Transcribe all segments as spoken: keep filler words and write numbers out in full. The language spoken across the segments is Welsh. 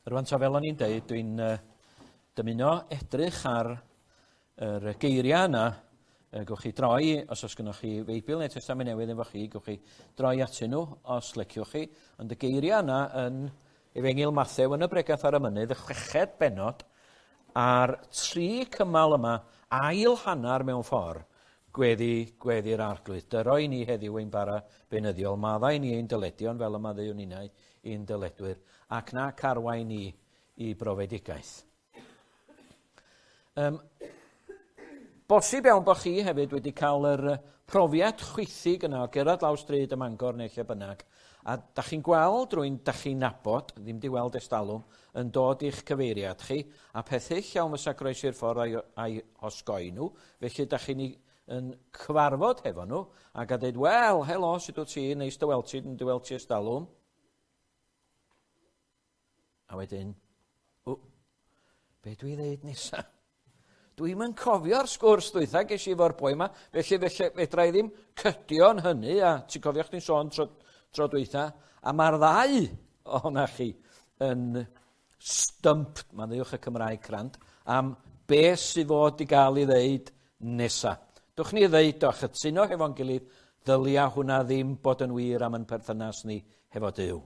Rwan ta fel o'n i'n deud, dwi'n uh, dymuno edrych ar yr geiriau yna. Uh, gewch chi droi, os oes gennych chi Feibl neu Testament Newydd efo chi, gewch chi droi atyn nhw os leciwch chi. Ond y geiriau yna yn Efengyl Mathew yn y Bregath ar y Mynydd, y chweched bennod, a'r tri cymal yma, ail hanner mewn ffordd, gweddi, gweddi'r Arglwydd. Dyro i ni heddiw ein bara beunyddiol, maddau ni ein dyledion fel y maddeuwn ninnau i'n dyledwyr, ac na carwain ni i brofedigaeth. Um, bosib iawn bod chi hefyd wedi cael yr profiad chwithig yna o gerdded lawr stryd ym Mangor neu lle bynnag, a da chi'n gweld rhywun da chi'n nabod, ddim di weld estalwm, yn dod i'ch cyfeiriad chi, a peth hyll iawn fysa groesi'r ffordd a'i, a'i osgoi nhw, felly da chi'n yn cyfarfod hefo nhw, ac a dweud, wel, helo, sut wyt ti, neis dy weld ti, dy weld ti estalwm. A wedyn, o, be dwi ddeud nesa? Dwi'm yn cofio'r sgwrs dwytha ges i efo'r boi yma, felly, felly fedra i ddim cydio yn hynny, a ti'n cofio chdi'n sôn tro, tro dwytha, a mae'r ddau ohona chi yn stumped, mae'n ddiwch y Cymraeg crand, am beth sydd fod i gael ei ddeud nesa. Dwch ni ddeud o, a chytuno hefo'n gilydd, ddylia hwnna ddim bod yn wir am yn perthynas ni hefo Duw.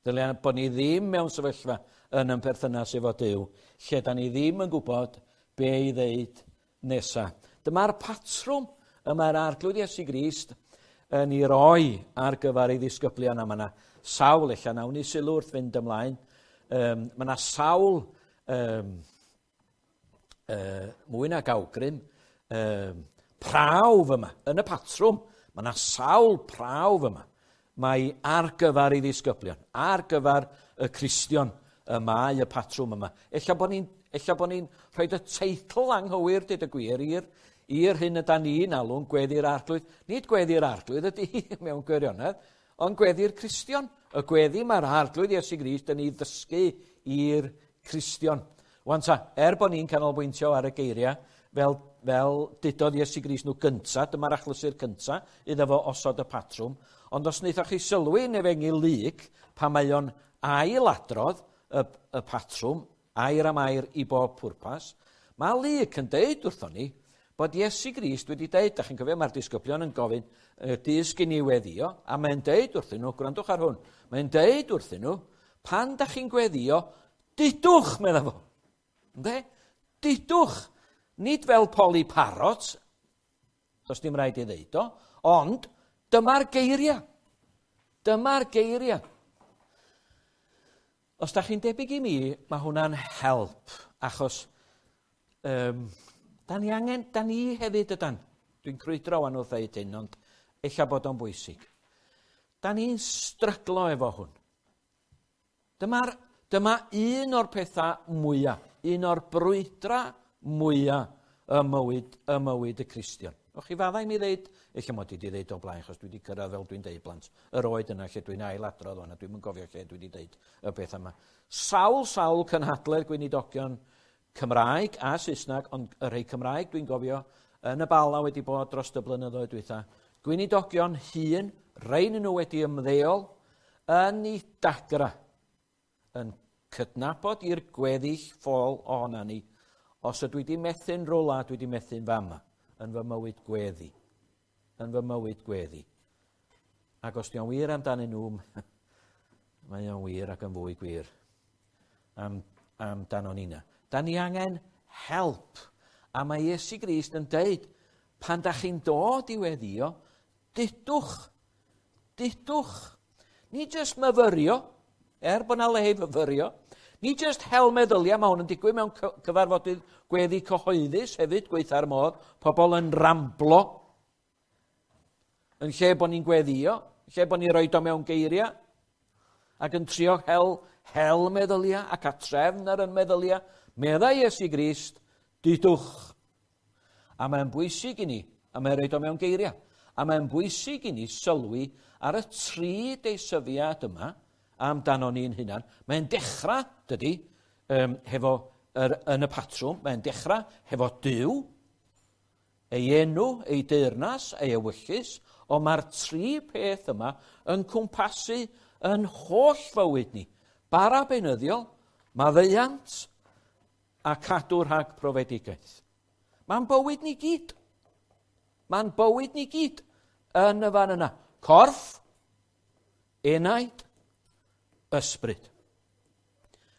Ddylia bod ni ddim mewn sefyllfa yn yn perthynas efo Duw, lle da ni ddim yn gwybod be i ddeud nesa. Dyma'r patrwm y mae'r Arglwydd Iesu Grist yn ei roi ar gyfer ei ddisgyblion, a mae yna sawl, ella nawn ni sylw wrth fynd ymlaen, um, mae yna sawl um, uh, mwy nag awgrym, um, prawf yma, yn y patrwm, mae yna sawl prawf yma. Mae ar gyfer ei ddisgyblion, ar gyfer y Cristion y mae y patrwm yma. Ella bod ni'n ella bod ni'n rhoi y teitl anghywir, dweud y gwir, i'r i'r hyn yda ni'n alw'n gweddi'r Arglwydd. Nid gweddi'r Arglwydd ydy mewn gwirionedd, ond gweddi'r Cristion. Y gweddi mae'r Arglwydd Iesu Grist yn ei ddysgu i'r Cristion. Wan ta, er bod ni'n canolbwyntio ar y geiriau, fel, fel dudodd Iesu Grist nhw gynta, dyma'r achlysur cynta, iddo fo osod y patrwm, ond os wnaethoch chi sylwi yn Efengyl Luc, pan mae o'n ailadrodd y, y patrwm, air am air i bob pwrpas, mae Luc yn deud wrthon ni bod Iesu Grist wedi deud, da chi'n cofio, mae'r disgyblion yn gofyn, dysg i ni weddio, a mae'n deud wrthyn nhw, gwrandwch ar hwn, mae'n deud wrthyn nhw, pan da chi'n gweddio, dudwch, medda fo. Ynde? Dudwch. Nid fel Polly Parrot, does dim rhaid i ddeud o, ond dyma'r geiriau. Dyma'r geiriau. Os da chi'n debyg i mi, mae hwnna'n help, achos um, da ni angen, da ni hefyd ydan. Dwi'n crwydro wan wrth ddeud hyn, ond ella bod o'n bwysig. Da ni'n stryglo efo hwn. Dyma'r, dyma un o'r pethau mwyaf, un o'r brwydra mwyaf y mywyd, y mywyd y Cristion. O'ch chi faddau i mi ddeud, ella mod i wedi ddeud o blaen, achos dwi wedi cyrraedd fel dwi'n deud blant, yr oed yna lle dwi'n ailadrodd o'n, a dwi'm yn gofio lle dwi wedi deud y beth yma. Sawl, sawl cynhadledd gweinidogion Cymraeg a Saesneg, ond y rhai Cymraeg dwi'n gofio yn y Bala wedi bod dros y blynyddoedd dwytha. Gweinidogion hŷn, rhain nhw wedi ymddeol yn ei dagra, yn cydnabod i'r gweddill ffôl ohona ni. Os ydw i wedi methu'n rwla, dwi wedi methu'n fama, yn fy mywyd gweddi. Yn fy mywyd gweddi. Ac os dio'n wir amdanyn nhw, mae o'n wir ac yn fwy gwir am, amdano nina. Da ni angen help. A mae Iesu Grist yn deud, pan da chi'n dod i weddio, dudwch, dudwch. Nid jyst myfyrio, er bod na le i fyfyrio, nid jyst hel meddyliau, mae hwn yn digwydd mewn cyfarfodydd gweddi cyhoeddus hefyd, gweitha'r modd, pobl yn ramblo, yn lle bod ni'n gweddio, lle bod ni'n rhoi o mewn geiriau, ac yn trio hel, hel meddyliau ac a trefn ar yn meddyliau, meddai Iesu Grist, dudwch. A mae'n bwysig i ni, a mae'n rhoi o mewn geiriau, a mae'n bwysig i ni sylwi ar y tri deisyfiad yma, amdano ni'n hunan. Mae'n dechrau, dydy, um, hefo yr, yn y patrwm, mae'n dechrau hefo Duw, ei enw, ei deyrnas, ei ewyllys, ond mae'r tri peth yma yn cwmpasu yn holl fywyd ni. Bara beunyddiol, Maddeuant a cadw rhag profedigaeth. Mae'n bywyd ni gyd. Mae'n bywyd ni gyd yn y fan yna. Corff, enaid, ysbryd.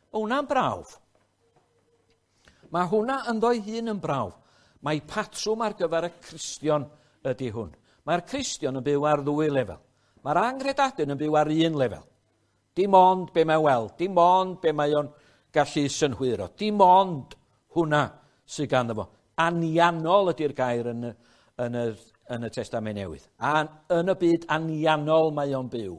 Mae hwnna'n brawf. Mae hwnna ynddo'i hun yn brawf. Mae patrwm ar gyfer y Cristion ydy hwn. Mae'r Cristion yn byw ar ddwy lefel. Mae'r anghredadun yn byw ar un lefel. Dim ond be mae'n weld, dim ond be mae o'n gallu synhwyro, dim ond hwnna sydd ganddo fo. Anianol ydy'r gair yn y, yn y, yn y Testament Newydd. A yn y byd anianol mae o'n byw.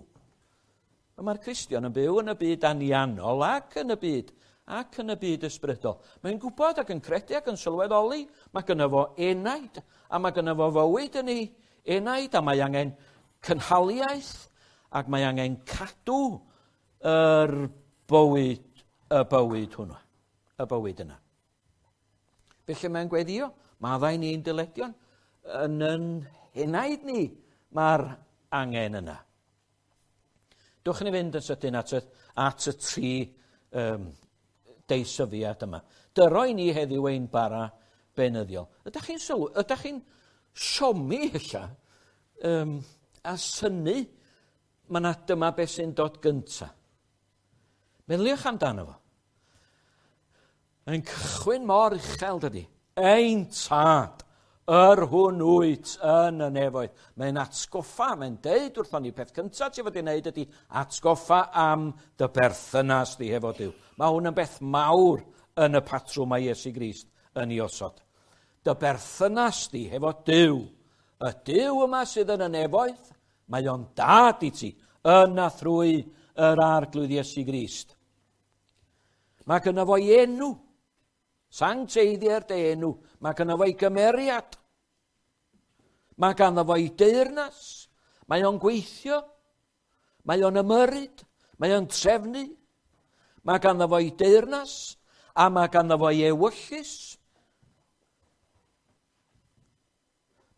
Mae'r Cristion yn byw yn y byd anianol ac yn y byd ac yn y byd ysbrydol. Mae'n gwybod ac yn credu ac yn sylweddoli. Mae gynno fo enaid a mae gynno fo fywyd yn ei enaid a mae angen cynhaliaeth ac mae angen cadw yr bywyd, y bywyd hwnnw, y bywyd yna. Felly mae'n gweddio, maddau ni'n dyledion, yn yn enaid ni mae'r angen yna. Dwch ni fynd yn sydyn at y, at y tri um, deisyfiad yma. Dyro i ni heddiw ein bara beunyddiol. Ydych chi'n sylw, ydych chi'n siomi ella um, a synnu mae yna dyma beth sy'n dod gynta. Meddyliwch amdano fo. Mae'n cychwyn mor uchel, dydy. Ein tad, yr hwn wyt yn y nefoedd. Mae'n atgoffa, mae'n deud wrthon ni, peth cyntaf ti fod i wneud ydy atgoffa am dy berthynas di hefo Duw. Mae hwn yn beth mawr yn y patrwm mae Iesu Grist yn ei osod. Dy berthynas di hefo Duw. Y Duw yma sydd yn y nefoedd, mae o'n dad i ti, yn a thrwy yr Arglwydd Iesu Grist. Mae gynno fo'i enw, sancteiddier dy enw, mae gynno fo'i gymeriad, mae ganddo fo'i deyrnas, mae o'n gweithio, mae o'n ymyrryd, mae o'n trefnu, mae ganddo fo'i deyrnas, a mae ganddo fo'i ewyllys.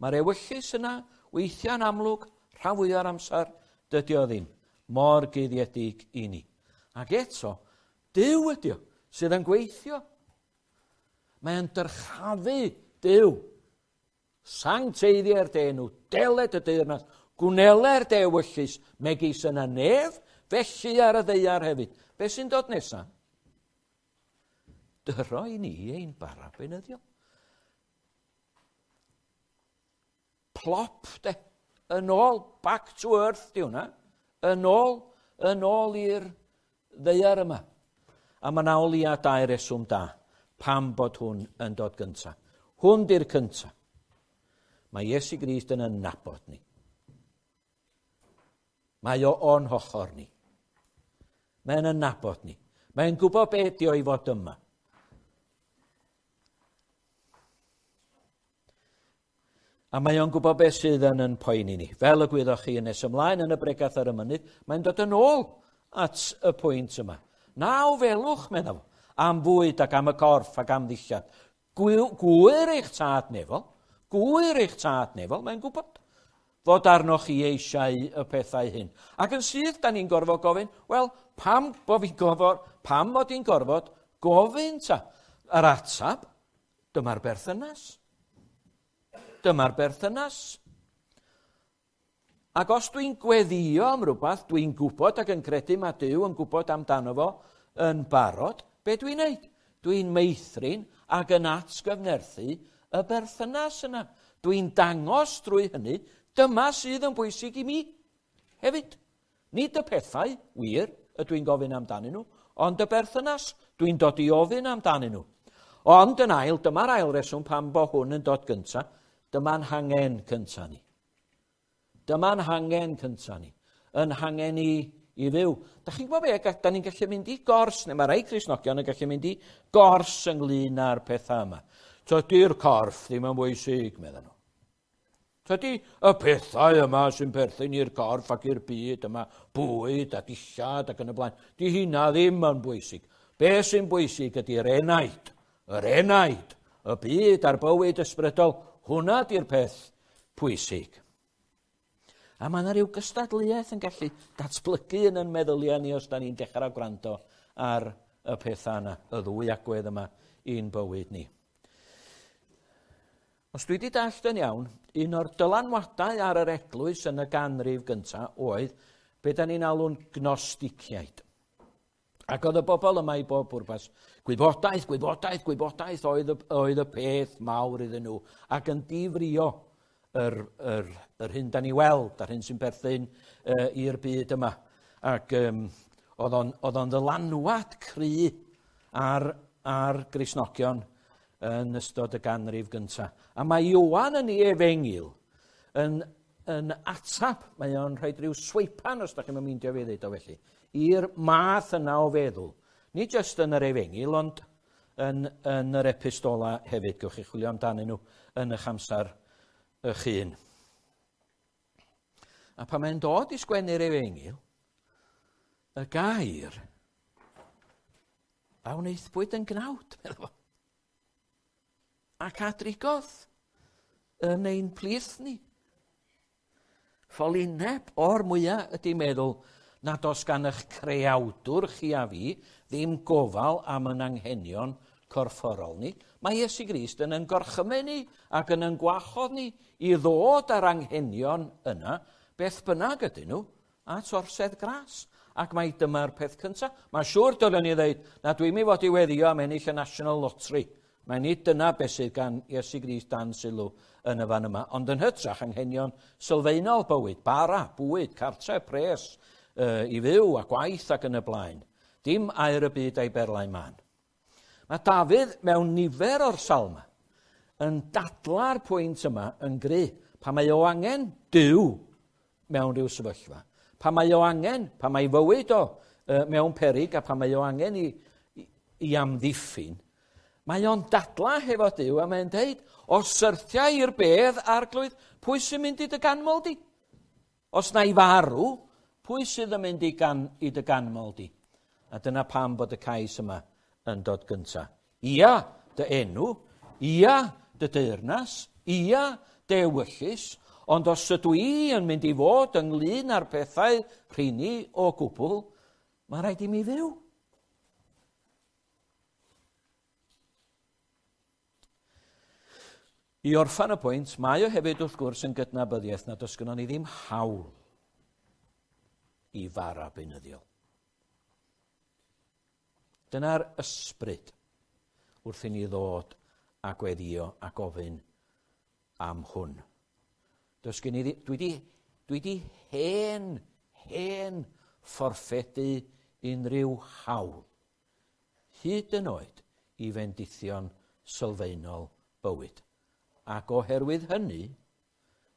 Mae'r ewyllys yna weithiau'n amlwg, rhan fwya'r amser, dydy o ddim, mor guddiedig i ni. Ac eto, Duw ydy o, sydd yn gweithio. Mae'n dyrchafu Duw. Sancteiddier dy enw, deled y deyrnas, gwneler dy ewyllys, megis yn y nef, felly ar y ddaear hefyd. Be sy'n dod nesaf? Dyro i ni ein bara beunyddiol. Plop, de. Yn ôl, back to earth, di hwnna. Yn ôl, yn ôl i'r ddaear yma. A mae yna o leia dau reswm da pam bod hwn yn dod gynta. Hwn di'r cynta. Mae Iesu Grist yn nabod ni. Mae o o'n hochor ni. Mae'n nabod ni. Mae'n gwybod be ydi o i fod yma. A mae o'n gwybod beth sydd yn yn poeni ni. Fel y gwyddoch chi yn nes ymlaen yn y bregath ar y mynydd, mae'n dod yn ôl at y pwynt yma. Na ofelwch, meddwl, am fwyd ac am y corff ac am ddillad. Gwyr eich tad nefol, gwyr eich tad nefol, mae'n gwybod fod arnoch chi eisiau y pethau hyn. Ac yn syth, da ni'n gorfod gofyn, wel, pam bo fi'n gorfod, pam mod i'n gorfod gofyn ta? Yr atab, dyma'r berthynas. Dyma'r berthynas. Ac os dwi'n gweddio am rhywbeth, dwi'n gwybod ac yn credu mae Duw yn gwybod amdano fo yn barod, be dwi'n neud? Dwi'n meithrin ac yn atgyfnerthu y berthynas yna. Dwi'n dangos drwy hynny, dyma sydd yn bwysig i mi hefyd. Nid y pethau, wir, y dwi'n gofyn amdanyn nhw, ond y berthynas dwi'n dod i ofyn amdanyn nhw. Ond yn ail, dyma'r ail reswm pam bo hwn yn dod gynta, dyma'n hangen cynta ni. Dyma'n hangen cynta ni. Yn hangen i, i fyw. Da chi'n gwybod be, da ni'n gallu mynd i gors, neu mae rai Cristnogion yn gallu mynd i gors ynglyn â'r pethau yma. Tydi'r corff ddim yn bwysig, meddyn nhw. Tydi y pethau yma sy'n perthyn i'r corff ac i'r byd yma, bwyd a dillad ac yn y blaen, di hynna ddim yn bwysig. Be sy'n bwysig ydy'r enaid, yr enaid, y byd a'r bywyd ysbrydol, hwnna di'r peth pwysig. A mae yna rhyw gystadleuaeth yn gallu datblygu yn yn meddyliau ni os da ni'n dechrau gwrando ar y pethau yna, y ddwy agwedd yma i'n bywyd ni. Os dwi wedi dallt yn iawn, un o'r dylanwadau ar yr eglwys yn y ganrif gyntaf oedd be da ni'n alw'n gnosticiaid. Ac oedd y bobl yma i bob pwrpas, gwybodaeth, gwybodaeth, gwybodaeth oedd y, oedd y peth mawr iddyn nhw, ac yn difrio yr, yr, yr hyn da ni weld, a'r hyn sy'n perthyn uh, i'r byd yma. Ac um, oedd o'n, oedd o'n ddylanwad cry ar, ar Gristnogion yn ystod y ganrif gyntaf. A mae Ioan yn ei efengyl yn, yn atab, mae o'n rhoi rhyw sweipan, os da chi'n meindio fi ddeud o felly, i'r math yna o feddwl. Nid jyst yn yr efengyl, ond yn, yn yr epistola hefyd. Gewch chi chwilio amdanyn nhw yn eich amser eich hun. A pan mae'n dod i sgwennu'r efengyl, y gair a wnaethpwyd yn gnawd, meddwl fo. Ac a drigodd yn ein plith ni. Ffolineb o'r mwyaf ydy meddwl nad oes gan eich creawdwr chi a fi ddim gofal am yn anghenion corfforol ni. Mae Iesu Grist yn yn gorchymyn ni ac yn yn gwahodd ni i ddod â'r anghenion yna, beth bynnag ydyn nhw, at orsedd gras. Ac mae dyma'r peth cyntaf. Mae'n siŵr dylen ni ddeud na dwi'n mynd fod i weddio am ennill y National Lottery. Mae nid dyna beth sydd gan Iesu Grist dan sylw yn y fan yma, ond yn hytrach anghenion sylfaenol bywyd, bara, bwyd, cartre, pres, uh, i fyw a gwaith ac yn y blaen. Dim aur y byd a'i berlau mân. Mae Dafydd mewn nifer o'r salma yn dadla'r pwynt yma yn gry, pan mae o angen Duw mewn rhyw sefyllfa, pan mae o angen, pan mae fywyd o uh, mewn peryg a pan mae o angen i, i, i amddiffyn, mae o'n dadla hefo Duw a mae'n deud, os syrthia i'r bedd, Arglwydd, pwy sy'n mynd i dy ganmol di? Os na i farw, pwy sydd yn mynd i, gan, i dy ganmol di? A dyna pam bod y cais yma yn dod gynta. Ia, dy enw, ia, dy deyrnas, ia, dy ewyllys, ond os ydw i yn mynd i fod ynglyn â'r pethau rheini o gwbl, mae rhaid i mi fyw. I orffan y pwynt, mae o hefyd wrth gwrs yn gydnabyddiaeth nad oes gynnon ni ddim hawl i fara beunyddiol. Dyna'r ysbryd wrth i ni ddod a gweddio a gofyn am hwn. Does gen i dwi wedi, dwi wedi hen, hen fforffedu unrhyw hawl, hyd yn oed i fendithion sylfaenol bywyd. Ac oherwydd hynny,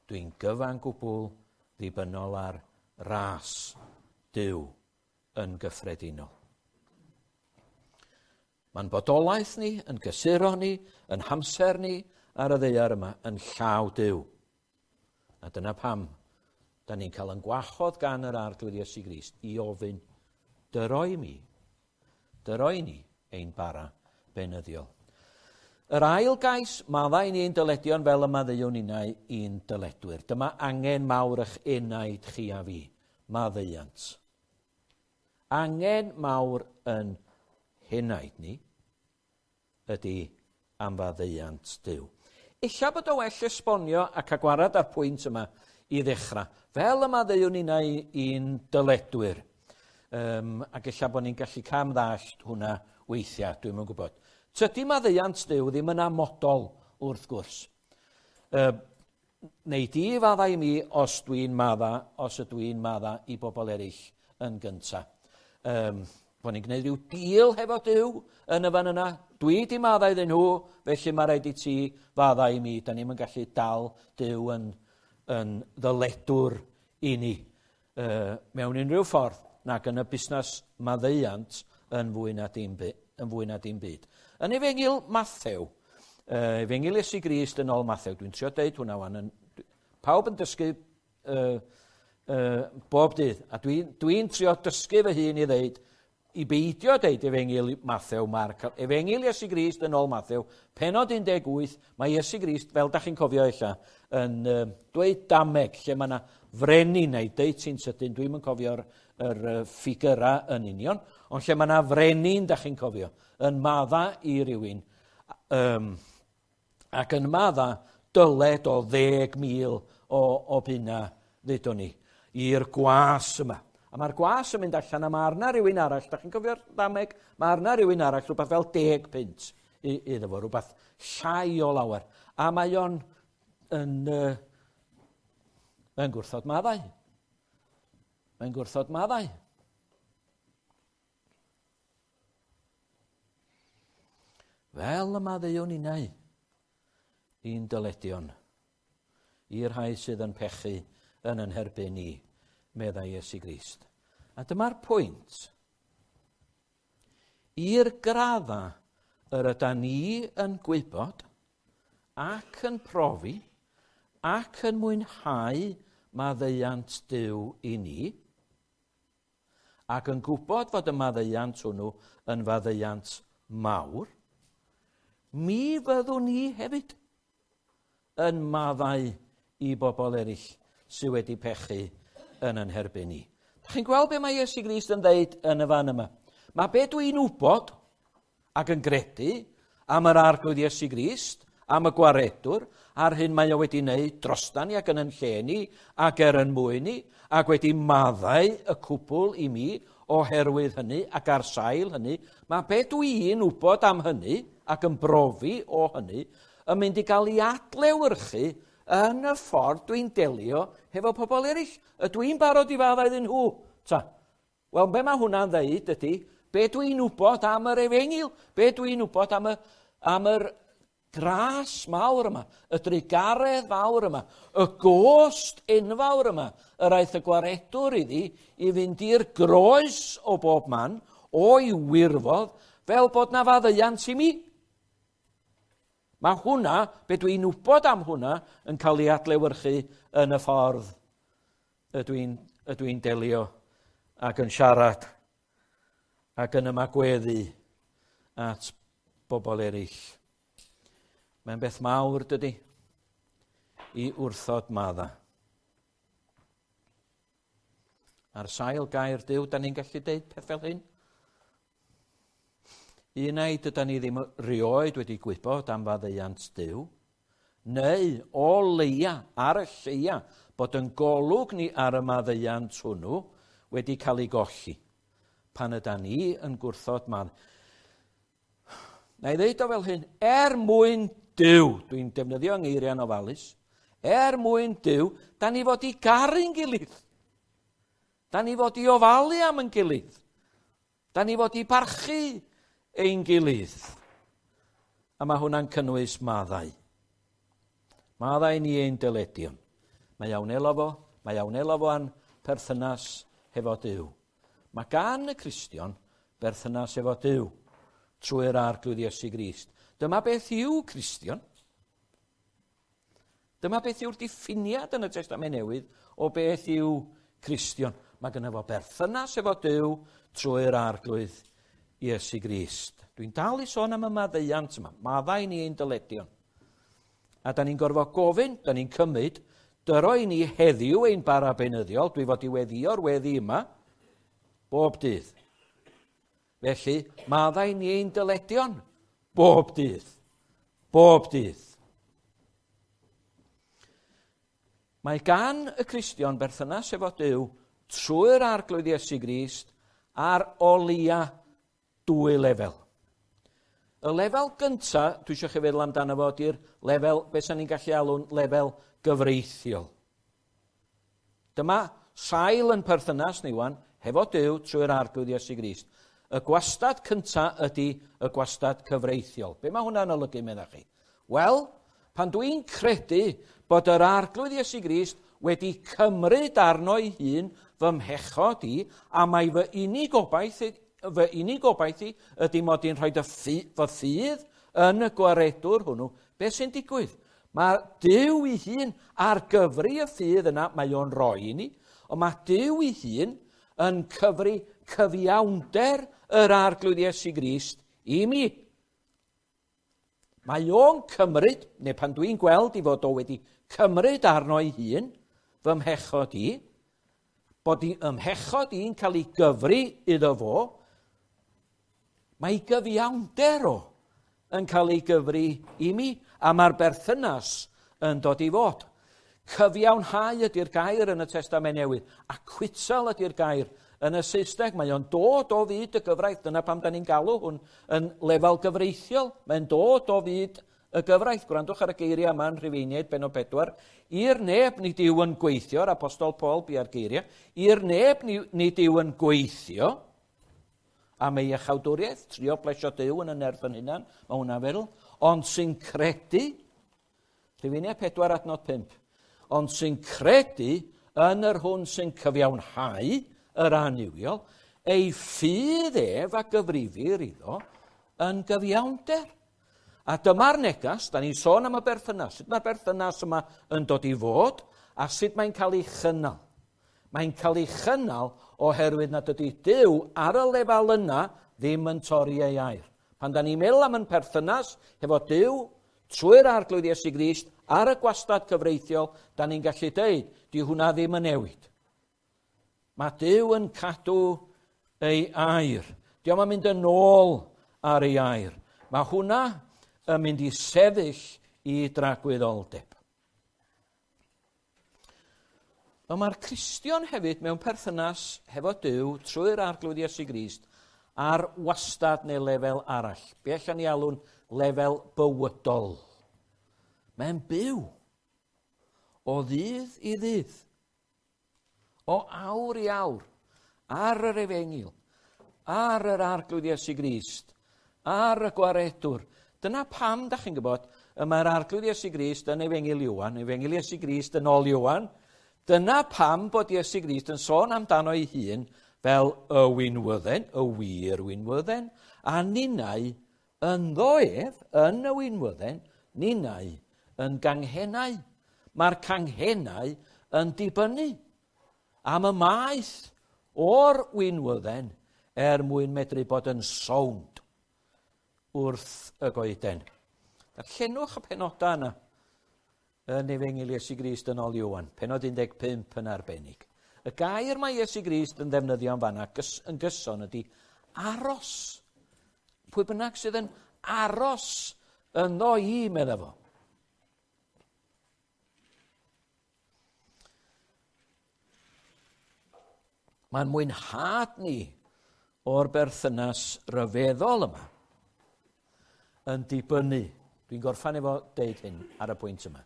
dwi'n gyfan gwbl ddibynnol ar ras Duw yn gyffredinol. Mae'n bodolaeth ni, yn gysuro ni, yn hamser ni ar y ddaear yma, yn llaw Duw. A dyna pam da ni'n cael yn gwahodd gan yr Arglwydd Iesu Grist i ofyn, dyroi mi, dyroi ni ein bara beunyddiol. Yr ail gais, maddau ni ein dyledion fel y maddeuwn ninnau i'n dyledwyr. Dyma angen mawr eich enaid chi a fi, maddeuant. Angen mawr yn henaid ni ydy am faddeuant Duw. Ella bod o well esbonio ac agwarad ar pwynt yma i ddechrau. Fel y maddeuwn ninnau i'n dyledwyr. Um, ac ella bod ni'n gallu cam ddallt hwnna weithiau, dwi'm yn gwybod. Tydi maddeuant Duw ddim yn amodol wrth gwrs. Uh, neu di faddau i mi os dwi'n madda, os ydw i'n madda i bobl eraill yn gyntaf. Um, bod ni'n gwneud rhyw deal hefo Duw yn y fan yna. Dwi di madda iddyn nhw, felly mae rhaid i ti fadda i mi. Da ni'm yn gallu dal Duw yn, yn ddyledwr i ni uh, mewn unrhyw ffordd, nac yn y busnes maddeuant yn fwy na dim, yn fwy na dim byd. Yn Efengyl Mathew, uh, Efengyl Iesu Grist yn ôl Mathew, dwi'n trio deud hwnna wan, yn, pawb yn dysgu uh, uh, bob dydd, a dwi'n dwi trio dysgu fy hun i ddeud, i beidio deud Efengyl Mathew, Marc, Efengyl Iesu Grist yn ôl Mathew, pennod un deg wyth, mae Iesu Grist, fel da chi'n cofio ella, yn uh, dweud dameg, lle mae yna frenin neu deud ti'n sydyn, dwi'm yn cofio'r yr ffigurau yn union, ond lle mae yna frenin, da chi'n cofio, yn madda i rywun, um, ac yn madda dyled o ddeg mil o, o bunna, ddudwn ni, i'r gwas yma. A mae'r gwas yn mynd allan a mae arna rhywun arall, da chi'n cofio'r ddameg, mae arna rhywun arall rhywbeth fel deg punt iddo fo, rhywbeth llai o lawer. A mae o'n yn, uh, yn gwrthod maddau. Mae'n gwrthod maddau. Fel y maddeuwn innau i'n dyledion, i'r rhai sydd yn pechu yn yn herbyn ni, meddai Iesu Grist. A dyma'r pwynt. I'r gradda yr ydan ni yn gwybod ac yn profi ac yn mwynhau maddeuant Duw i ni, ac yn gwybod fod y maddeuant hwnnw yn faddeuant mawr, mi fyddwn ni hefyd yn maddau i bobl eraill sydd wedi pechu yn yn herbyn ni. Dach chi'n gweld be mae Iesu Grist yn dweud yn y fan yma? Mae be dwi'n wybod ac yn gredu am yr Arglwydd Iesu Grist, am y gwaredwr, a'r hyn mae o wedi wneud drostan ni ac yn yn lle ni, ac er yn mwyn ni, ac wedi maddau y cwbl i mi oherwydd hynny ac ar sail hynny. Mae be dwi'n wybod am hynny ac yn brofi o hynny yn mynd i gael ei adlewyrchu yn y ffordd dwi'n delio hefo pobl eraill. Ydw i'n barod i faddau iddyn nhw? Ta. Wel, be mae hwnna'n dweud ydy, be dwi'n wybod am yr efengyl, be dwi'n wybod am y, am yr gras mawr yma, y drugaredd fawr yma, y gost enfawr yma, yr aeth y gwaredwr iddi i fynd i'r groes o bob man, o'i wirfodd, fel bod na faddeuant i mi. Mae hwnna, be dwi'n wybod am hwnna, yn cael ei adlewyrchu yn y ffordd ydw i'n, ydw i'n delio ac yn siarad ac yn ymagweddu at bobl eraill. Mae'n beth mawr, dydy, i wrthod madda. Ar sail gair Duw, da ni'n gallu deud peth fel hyn? Un ai dydan ni ddim rioed wedi gwybod am faddeuant Duw, neu o leia, ar y lleia, bod yn golwg ni ar y maddeuant hwnnw wedi cael ei golli, pan ydan ni yn gwrthod madd. Na i ddeud o fel hyn, er mwyn Duw, dwi'n defnyddio ngeiriau'n ofalus, er mwyn Duw, da ni fod i garu'n gilydd. Da ni fod i ofalu am yn gilydd. Da ni fod i barchu ein gilydd. A mae hwnna'n cynnwys maddau. Maddau ni ein dyledion. Mae iawn elo fo, mae iawn elo fo a'n perthynas hefo Duw. Mae gan y Cristion berthynas efo Duw trwy'r Arglwydd Iesu Grist. Dyma beth yw Cristion. Dyma beth yw'r diffiniad yn y Testament Newydd o beth yw Cristion. Mae gynno fo berthynas efo Duw trwy'r Arglwydd Iesu Grist. Dwi'n dal i sôn am y maddeuant yma. Maddau ni ein dyledion. A da ni'n gorfod gofyn, da ni'n cymryd, dyro i ni heddiw ein bara beunyddiol, dwi fod i weddïo'r weddi yma, bob dydd. Felly, maddau ni ein dyledion, bob dydd. Bob dydd. Mae gan y Cristion berthynas efo Duw trwy'r Arglwydd Iesu Grist ar o leia dwy lefel. Y lefel gynta, dwi eisiau chi feddwl amdano fo, ydy'r lefel, beth sy'n ni'n gallu alw'n lefel gyfreithiol. Dyma sail yn perthynas ni wan, hefo Duw trwy'r Arglwydd Iesu Grist. Y gwastad cynta ydy y gwastad cyfreithiol. Be mae hwnna'n olygu, meddach chi? Wel, pan dwi'n credu bod yr Arglwydd Iesu Grist wedi cymryd arno ei hun fy mhechod i, a mae fy unig obaith, fy unig obaith i ydy mod i'n rhoi fy ffydd yn y gwaredwr hwnnw, beth sy'n digwydd? Mae Duw ei hun ar gyfri y ffydd yna, mae o'n rhoi i ni, ond mae Duw ei hun yn cyfri cyfiawnder yr Arglwydd Iesu Grist i mi. Mae o'n cymryd, neu pan dwi'n gweld i fod o wedi cymryd arno ei hun, fy mhechod i, bod i ymhechod i'n cael ei gyfri iddo fo, mae ei gyfiawnder o yn cael ei gyfri i mi, a mae'r berthynas yn dod i fod. Cyfiawnhau ydy'r gair yn y Testament Newydd, acquittal ydy'r gair yn y Saesneg. Mae o'n dod o fyd y gyfraith, dyna pam da ni'n galw hwn yn lefel gyfreithiol. Mae'n dod o fyd y gyfraith. Gwrandwch ar y geiriau yma yn Rhufeiniaid bennod pedwar. I'r neb nid yw yn gweithio, yr Apostol Paul bia'r geiriau, i'r neb nid yw yn gweithio am ei iachawdwriaeth, trio plesio Duw yn y nerth yn hunan, mae hwnna'n feddwl, ond sy'n credu, Rhufeiniaid pedwar adnod pump, ond sy'n credu yn yr hwn sy'n cyfiawnhau yr annuwiol, ei ffydd ef a gyfrifir iddo yn gyfiawnder. A dyma'r negas, da ni'n sôn am y berthynas, sut mae'r berthynas yma yn dod i fod, a sut mae'n cael ei chynnal. Mae'n cael ei chynnal oherwydd nad ydy Duw ar y lefel yna ddim yn torri ei air. Pan da ni'n meddwl am yn perthynas hefo Duw, trwy'r Arglwydd Iesu Grist, ar y gwastad cyfreithiol, da ni'n gallu deud, di hwnna ddim yn newid. Mae Duw yn cadw ei air. Dio'm yn mynd yn ôl ar ei air. Mae hwnna yn mynd i sefyll i dragwyddoldeb. Ond mae'r Cristion hefyd mewn perthynas hefo Duw trwy'r Arglwydd Iesu Grist ar wastad neu lefel arall. Be allan ni alw'n lefel bywydol. Mae'n byw o ddydd i ddydd, o awr i awr, ar yr Efengyl, ar yr Arglwydd Iesu Grist, ar y Gwaredwr. Dyna pam, da chi'n gwybod, y mae'r Arglwydd Iesu Grist yn Efengyl Ioan, Efengyl Iesu Grist yn ôl Ioan. Dyna pam bod Iesu Grist yn sôn amdano ei hun fel y winwydden, y wir winwydden, a ninnau ynddo ef, yn y winwydden, ninnau yn ganghennau. Mae'r canghennau yn dibynnu am y maeth o'r winwydden er mwyn medru bod yn sownd wrth y goeden. Darllenwch y penodau yna yn Efengyl Iesu Grist yn ôl Ioan, pennod un deg pump yn arbennig. Y gair mae Iesu Grist yn ddefnyddio yn fanna yn gyson ydy aros. Pwy bynnag sydd yn aros ynddo i, medda fo. Mae'n mwynhad ni o'r berthynas ryfeddol yma yn dibynnu. Dwi'n gorffan efo deud hyn ar y pwynt yma.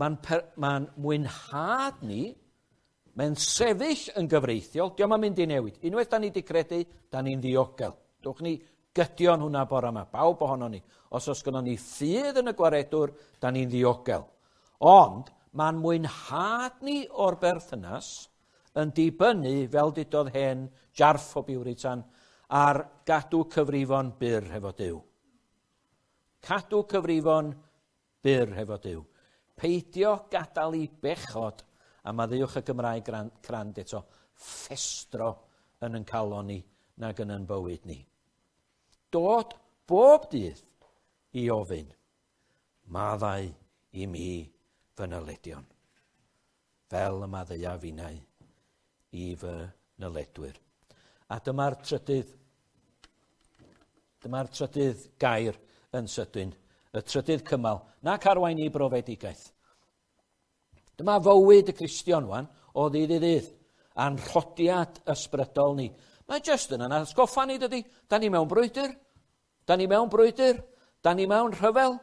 Mae'n mae'n mwynhad ni, mae'n sefyll yn gyfreithiol, dio'm yn mynd i newid. Unwaith da ni wedi credu, da ni'n ddiogel. Dwch ni gydio'n hwnna bore yma, bawb ohono ni. Os oes gynnon ni ffydd yn y Gwaredwr, da ni'n ddiogel. Ond mae'n mwynhad ni o'r berthynas yn dibynnu, fel dudodd hen jarff o Biwritan, ar gadw cyfrifon byr hefo Duw. Cadw cyfrifon byr hefo Duw. Peidio gadael i bechod, a maddeuwch y Gymraeg crand eto, ffestro yn yn calon ni nag yn yn bywyd ni. Dod bob dydd i ofyn, maddau i mi fy nyledion, fel y maddeuaf finnau i fy nyledwyr. A dyma'r trydydd, dyma'r trydydd gair yn sydyn, y trydydd cymal, nac arwain i brofedigaeth. Dyma fywyd y Cristion wan, o ddydd i ddydd, a'n rhodiad ysbrydol ni. Mae jyst yn yna atgoffa ni, dydy. Da ni mewn brwydr, da ni mewn brwydr, da ni mewn rhyfel.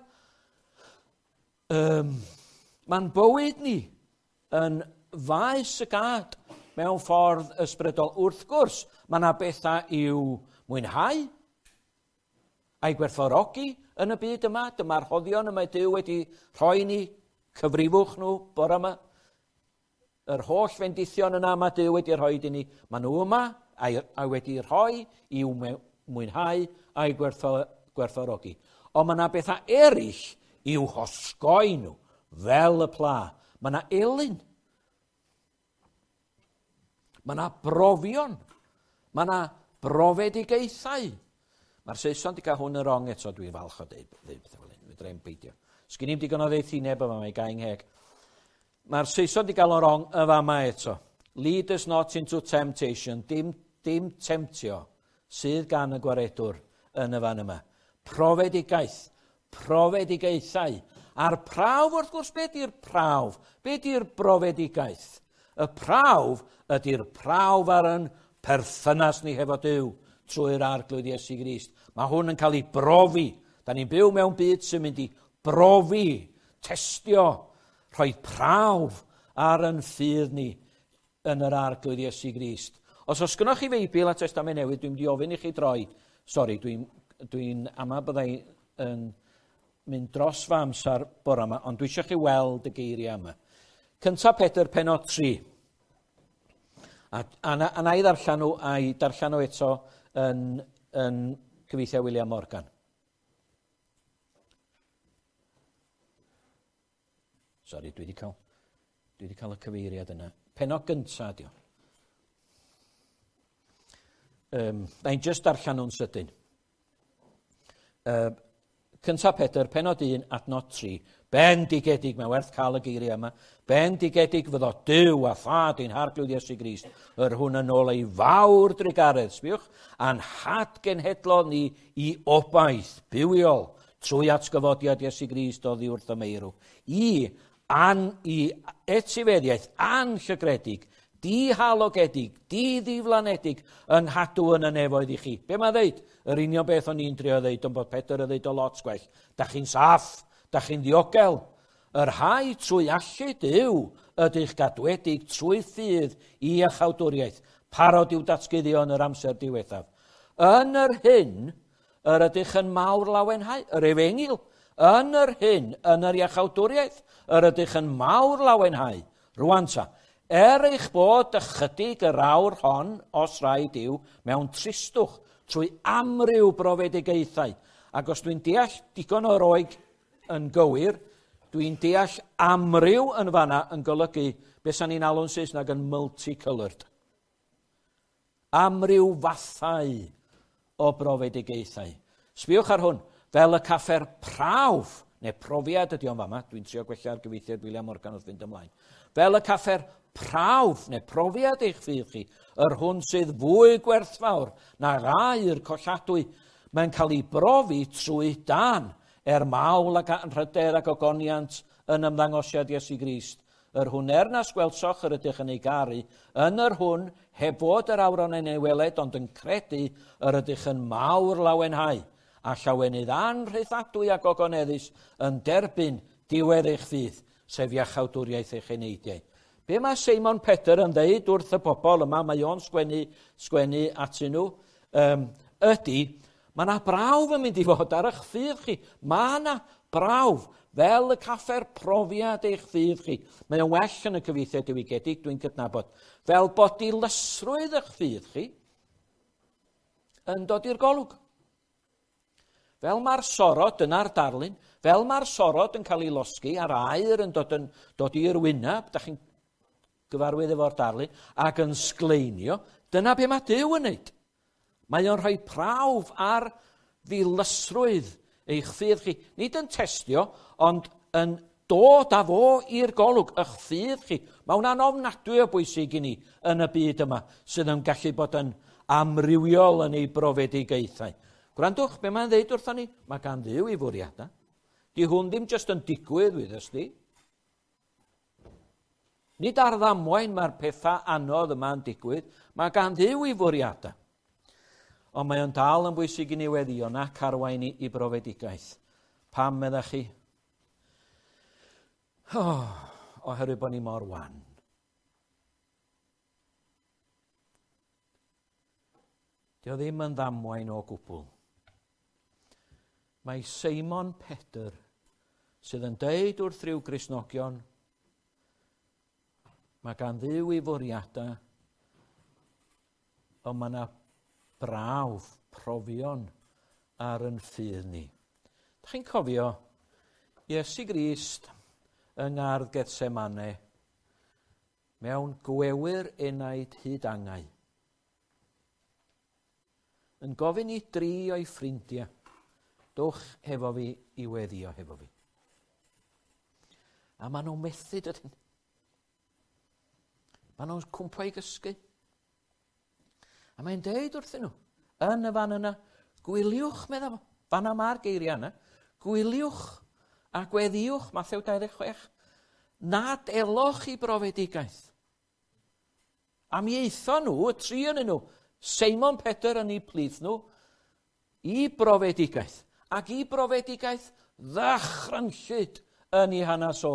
Um, Mae'n bywyd ni yn faes y gad mewn ffordd ysbrydol. Wrth gwrs, mae yna bethau i'w mwynhau a'i gwerthfawrogi yn y byd yma. Dyma'r rhoddion y mae Duw wedi rhoi ni, cyfrifwch nhw bore yma. Yr holl fendithion yna mae Duw wedi rhoi i ni. Maen nhw yma a'i, a wedi rhoi i'w mwynhau a'i gwerthfawrogi. Ond mae yna bethau eraill i'w hosgoi nhw, fel y pla. Mae yna elyn. Mae yna brofion. Mae yna brofedigaethau. Mae'r Saeson wedi cael hwn yn wrong eto, dwi'n falch o deud, deud pethau fel hyn, fedra i'm beidio. Sgyn i'm digon o ddeithineb yma, mae gael ngheg. Mae'r Saeson wedi cael o'n wrong y fama eto. Lead us not into temptation, dim, dim temtio sydd gan y gwaredwr yn y fan yma. Profedigaeth, profedigaethau. A'r prawf, wrth gwrs, be di'r prawf? Be di'r brofedigaeth? Y prawf ydy'r prawf ar yn perthynas ni hefo Duw trwy'r Arglwydd Iesu Grist. Mae hwn yn cael ei brofi. Da ni'n byw mewn byd sy'n mynd i brofi, testio, rhoi prawf ar yn ffydd ni yn yr Arglwydd Iesu Grist. Os oes gynnoch chi Feibl a Testament Newydd, dwi'n mynd i ofyn i chi droi. Sori, dwi'n dwi ama byddai yn mynd dros fy amser bore yma, ond dwi eisiau chi weld y geiriau yma. Cynta Pedr, penod tri. A, a, a, a na i ddarllen nhw, a'i darllen nhw eto yn, yn cyfieithiau William Morgan. Sori, dwi wedi cael, dwi wedi cael y cyfeiriad yna. Penod gynta ydi o. Um, na i'n just darllen nhw'n sydyn. Uh, Cynta Pedr, penod un, adnod tri. Bendigedig, mae'n werth cael y geiriau yma. Bendigedig fyddo Duw a Thad ein Harglwydd Iesu Grist, yr hwn yn ôl ei fawr drugaredd, sbiwch, a'n hadgenhedlodd ni i obaith bywiol trwy atgyfodiad Iesu Grist oddi wrth y meirw. I, an, i etifeddiaeth anllygredig, dihalogedig, diddiflanedig, yng nghadw yn y nefoedd i chi. Be mae'n ddeud? Yr union beth o'n i'n trio ddeud, ond bod Pedr yn ddeud o lot gwell. Da chi'n saff, da chi'n ddiogel. Yr rhai trwy allu Duw ydych gadwedig trwy ffydd i iachawdwriaeth, parod i'w datguddio yn yr amser diwethaf. Yn yr hyn, yr ydych yn mawr lawenhau, yr efengyl, yn yr hyn, yn yr iachawdwriaeth, yr ydych yn mawr lawenhau. Rwan ta, er eich bod ychydig yr awr hon, os rhaid yw, mewn tristwch, trwy amryw brofedigaethau. Ac os dwi'n deall digon o'r oeg yn gywir, dwi'n deall amryw yn fanna yn golygu beth sa'n ni'n alw'n Saesneg yn multicoloured. Amryw fathau o brofedigaethau. Sbiwch ar hwn, fel y caffer prawf, neu profiad ydy o'n fama, dwi'n trio gwella'r gyfieithiad William Morgan wrth fynd ymlaen. Fel y caffer prawf neu profiad eich ffydd chi, yr hwn sydd fwy gwerthfawr na aur colladwy, mae'n cael ei brofi trwy dan, er mawl ac anrhydedd ac ogoniant yn ymddangosiad Iesu Grist. Yr hwn er nas gwelsoch yr ydych yn ei garu, yn yr hwn heb fod yr awron yn ei weled, ond yn credu yr ydych yn mawr lawenhau, a llawenydd anrhythadwy ac ogoneddus yn derbyn diwedd eich ffydd, sef iachawdwriaeth eich eneidiau. Be mae Seimon Pedr yn dweud wrth y bobl yma, mae o'n sgwennu, sgwennu atyn nhw, um, ydy, mae yna brawf yn mynd i fod ar eich ffydd chi. Mae yna brawf, fel y caffer profiad eich ffydd chi. Mae o'n well yn y cyfieithiad diwygiedig, dwi'n cydnabod. Fel bod dilysrwydd eich ffydd chi yn dod i'r golwg. Fel mae'r sorod, dyna'r darlun, fel mae'r sorod yn cael ei losgi a'r aer yn dod, yn, dod i'r wyneb, da chi'n gyfarwydd efo'r darlun, ac yn sgleinio, dyna be mae Duw yn wneud. Mae o'n rhoi prawf ar ddilysrwydd eich ffydd chi. Nid yn testio, ond yn dod â fo i'r golwg, eich ffydd chi. Mae hwnna'n ofnadwy o bwysig i ni yn y byd yma, sydd yn gallu bod yn amrywiol yn ei brofedigaethau. Gwrandwch, be mae'n dweud wrthon ni? Mae gan Dduw ei fwriadau. Di hwn ddim jyst yn digwydd, wyddys di. Nid ar ddamwain mae'r pethau anodd yma'n digwydd. Mae gan Dduw ei fwriadau. Ond mae o'n dal yn bwysig i ni weddio nac arwain i, i brofedigaeth. Pam, meddach chi? Oh, oherwydd bod ni mor wan. Dio ddim yn ddamwain o gwbl. Mae Seimon Pedr sydd yn deud wrth ryw Gristnogion, mae gan Dduw ei fwriadau, ond mae yna brawf, profion ar yn ffydd ni. Dach chi'n cofio Iesu Grist yng ngardd Gethsemane mewn gwewyr enaid hyd angau, yn gofyn i dri o'i ffrindiau, dowch hefo fi i weddio hefo fi. A maen nhw'n methu dydyn. Maen nhw'n cwmpo i gysgu. A mae'n deud wrthyn nhw, yn y fan yna, gwyliwch, medda fo, fanna mae'r geiriau yna, gwyliwch a gweddïwch, Mathew dau ddeg chwech, nad eloch i brofedigaeth. A mi aethon nhw, y tri yn nhw, Seimon Pedr yn eu plith nhw, i brofedigaeth. Ac i brofedigaeth ddychrynllyd yn ei hanes o.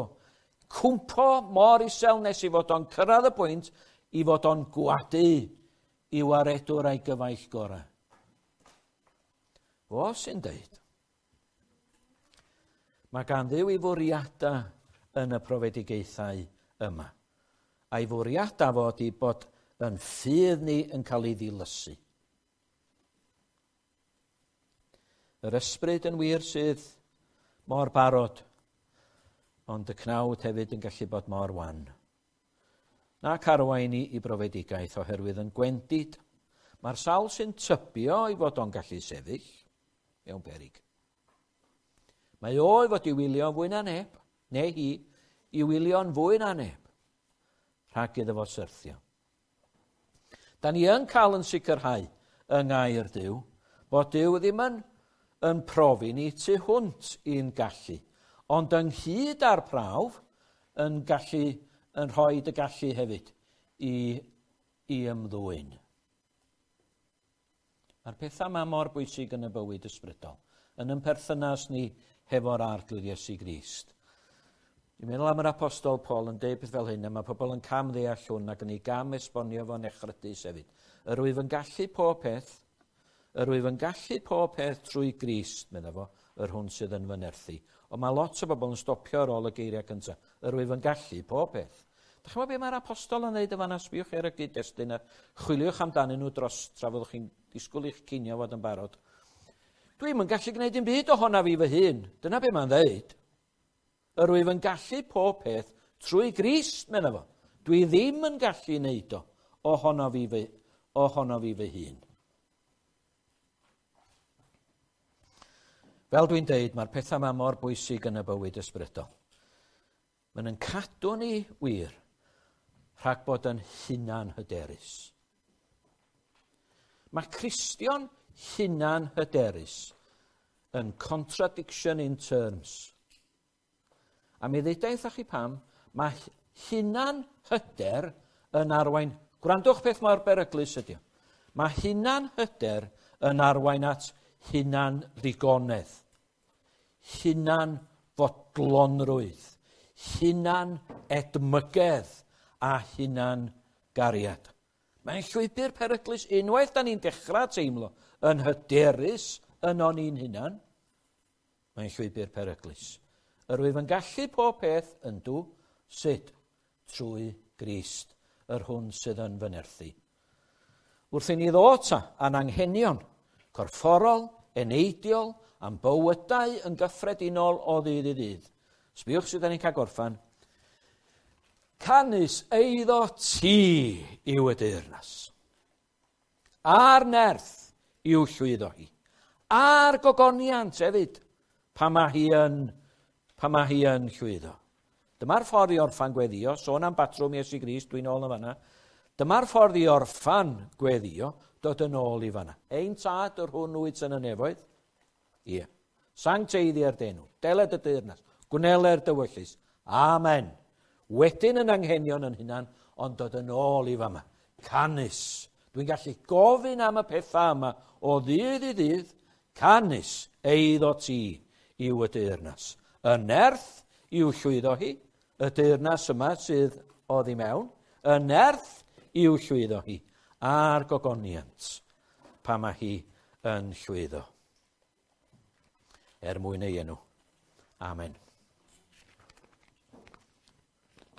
Cwmpo mor isel nes i fod o'n cyrraedd y pwynt i fod o'n gwadu i waredwr a'i gyfaill gorau. Fo sy'n deud. Mae gan Dduw ei fwriadau yn y profedigaethau yma. A'i fwriadau fod i bod yn ffydd ni yn cael ei ddilysu. Yr ysbryd yn wir sydd mor barod, ond y cnawd hefyd yn gallu bod mor wan. Nac arwain ni i brofedigaeth oherwydd yn gwendid. Mae'r sawl sy'n tybio i fod o'n gallu sefyll mewn peryg. Mae o i fod i wylio fwy na neb, neu hi, i wylio'n fwy na neb, rhag iddo fo syrthio. Da ni yn cael yn sicrhau yng ngair Duw, bod Duw ddim yn, yn profi ni tu hwnt i'n gallu, ond ynghyd â'r prawf yn gallu, yn rhoi y gallu hefyd i, i ymddwyn. Mae'r pethau yma mor bwysig yn y bywyd ysbrydol, yn yn perthynas ni hefo'r Arglwydd Iesu Grist. Dwi'n meddwl am yr apostol Paul yn deud peth fel hyn, a mae pobl yn cam ddeall hwn ac yn ei gam esbonio fo'n echrydus hefyd. Yr wyf yn gallu pob peth, yr wyf yn gallu pob peth trwy Grist, medda fo, yr hwn sydd yn fy nerthu. Ond mae lot o bobl yn stopio ar ôl y geiriau cyntaf. Yr wyf yn gallu pob peth. Dach chi'n gwybod beth mae'r apostol yn dweud y fanna? Sbiwch ar y gyd-destun a chwiliwch amdanyn nhw dros tra fyddwch chi'n disgwyl i'ch cinio fod yn barod. Dwi'm yn gallu gwneud dim byd ohona fi fy hun. Dyna beth mae'n dweud. Yr wyf yn gallu pob peth trwy Grist, medda fo. Dwi ddim yn gallu wneud o ohono fi fy, ohono fi fy hun. Fel dwi'n deud, mae'r pethau yma mor bwysig yn y bywyd ysbrydol. Maen nhw'n cadw ni wir rhag bod yn hunan hyderus. Mae Cristion hunan hyderus yn contradiction in terms. A mi ddeudai wrthach chi pam, mae hunan hyder yn arwain, gwrandwch beth mor beryglus ydi o. Mae hunan hyder yn arwain at hunan ddigonedd, hunan fodlonrwydd, hunan edmygedd a hunan gariad. Mae'n llwybr peryglus unwaith da ni'n dechrau teimlo yn hyderus ynon ni'n hunan. Mae'n llwybr peryglus. Yr wyf yn gallu pob peth yn dw, sut? Trwy Grist, yr hwn sydd yn fy nerthu. Wrth i ni ddod ta a'n anghenion, corfforol, eneidiol, a'n bywydau yn gyffredinol o ddydd i ddydd. Sbiwch sydd ni'n cael gorffan. Canys eiddo ti yw y deyrnas. A'r nerth i'w llwyddo hi. A'r gogoniant hefyd, pa mae hi yn, pa mae hi yn llwyddo. Dyma'r ffordd i orffan gweddio, sôn am batrwm Iesu Grist, dwi'n ôl yn fanna. Dyma'r ffordd i orffan gweddio, dod yn ôl i fanna. Ein tad yr hwn wyt yn y nefoedd. Ie. Sancteiddier dy enw, deled y deyrnas, gwneler dywyllys. Amen. Wedyn yn anghenion yn hunan, ond dod yn ôl i fama. Canys. Dwi'n gallu gofyn am y pethau yma o ddydd i ddydd. Canys eiddo ti yw y deyrnas. Y nerth i'w llwyddo hi, y deyrnas yma sydd oddi mewn, y nerth i'w llwyddo hi, a'r gogoniant pa mae hi yn llwyddo. Er mwyn ei enw. Amen.